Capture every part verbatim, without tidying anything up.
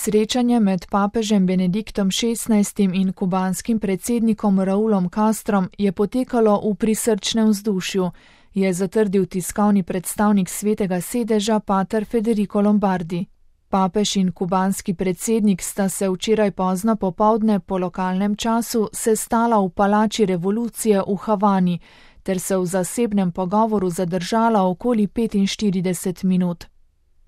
Srečanje med papežem Benediktom šestnajstim in kubanskim predsednikom Raulom Castrom je potekalo v prisrčnem vzdušju, je zatrdil tiskovni predstavnik Svetega sedeža pater Federico Lombardi. Papež in kubanski predsednik sta se včeraj pozno popoldne po lokalnem času sestala v palači revolucije v Havani ter se v zasebnem pogovoru zadržala okoli petinštirideset minut.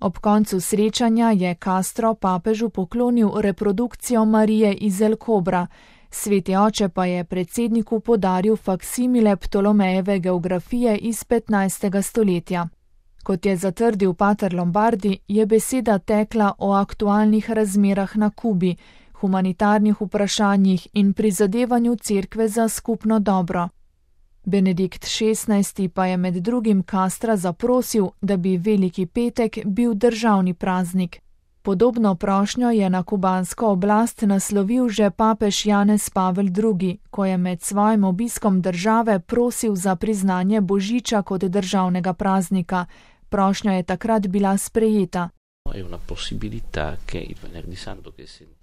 Ob koncu srečanja je Castro papežu poklonil reprodukcijo Marije iz El Cobra, Sveti oče pa je predsedniku podaril faksimile Ptolomejeve geografije iz petnajstega stoletja. Kot je zatrdil pater Lombardi, je beseda tekla o aktualnih razmerah na Kubi, humanitarnih vprašanjih in prizadevanju cerkve za skupno dobro. Benedikt šestnajsti pa je med drugim Castra zaprosil, da bi Veliki petek bil državni praznik. Podobno prošnjo je na kubansko oblast naslovil že papež Janez Pavel drugi, ko je med svojim obiskom države prosil za priznanje Božiča kot državnega praznika. Prošnja je takrat bila sprejeta.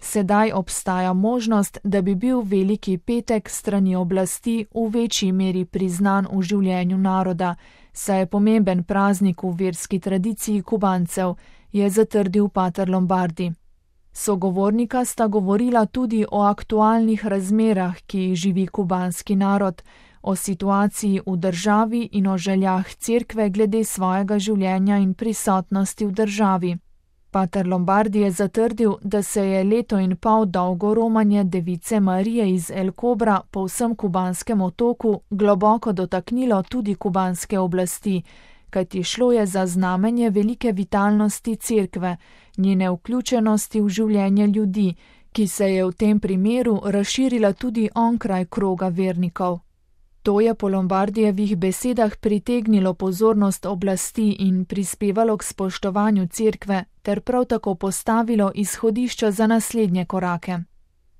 Sedaj obstaja možnost, da bi bil Veliki petek strani oblasti v večji meri priznan v življenju naroda, saj je pomemben praznik v verski tradiciji Kubancev, je zatrdil pater Lombardi. Sogovornika sta govorila tudi o aktualnih razmerah, ki jih živi kubanski narod, o situaciji v državi in o željah cerkve glede svojega življenja in prisotnosti v državi. Pater Lombardi je zatrdil, da se je leto in pol dolgo romanje device Marije iz El Cobra po vsem kubanskem otoku globoko dotaknilo tudi kubanske oblasti, kajti šlo je za znamenje velike vitalnosti cerkve, njene vključenosti v življenje ljudi, ki se je v tem primeru razširila tudi onkraj kroga vernikov. To je po Lombardijevih besedah pritegnilo pozornost oblasti in prispevalo k spoštovanju cerkve ter prav tako postavilo izhodišča za naslednje korake.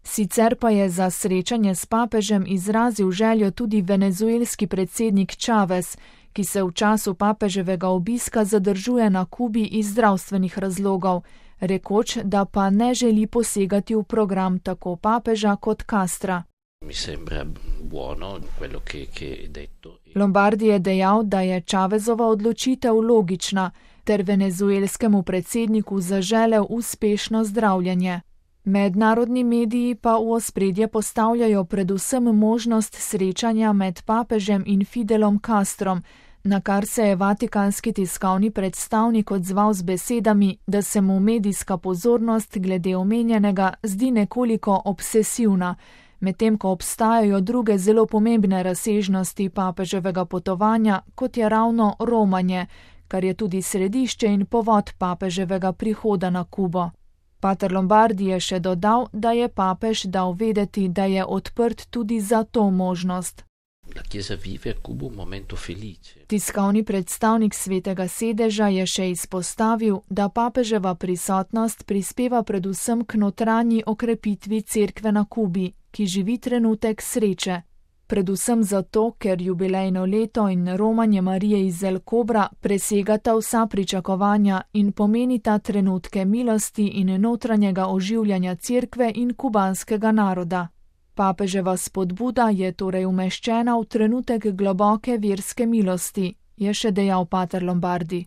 Sicer pa je za srečanje s papežem izrazil željo tudi venezuelski predsednik Chavez, ki se v času papeževega obiska zadržuje na Kubi iz zdravstvenih razlogov, rekoč, da pa ne želi posegati v program tako papeža kot Castra. Mi sembra buono quello che, che è detto. Lombardi je dejal, da je Chavezova odločitev logična, ter venezuelskemu predsedniku zaželel uspešno zdravljenje. Mednarodni mediji pa v ospredje postavljajo predvsem možnost srečanja med papežem in Fidelom Castrom, na kar se je vatikanski tiskovni predstavnik odzval z besedami, da se mu medijska pozornost glede omenjenega zdi nekoliko obsesivna, medtem ko obstajajo druge zelo pomembne razsežnosti papeževega potovanja, kot je ravno romanje, kar je tudi središče in povod papeževega prihoda na Kubo. Pater Lombardi je še dodal, da je papež dal vedeti, da je odprt tudi za to možnost. Tiskovni predstavnik Svetega sedeža je še izpostavil, da papeževa prisotnost prispeva predvsem k notranji okrepitvi cerkve na Kubi, ki živi trenutek sreče. Predvsem zato, ker jubilejno leto in romanje Marije iz El Cobra presegata vsa pričakovanja in pomenita trenutke milosti in notranjega oživljanja cerkve in kubanskega naroda. Papeževa spodbuda je torej umeščena v trenutek globoke verske milosti, je še dejal pater Lombardi.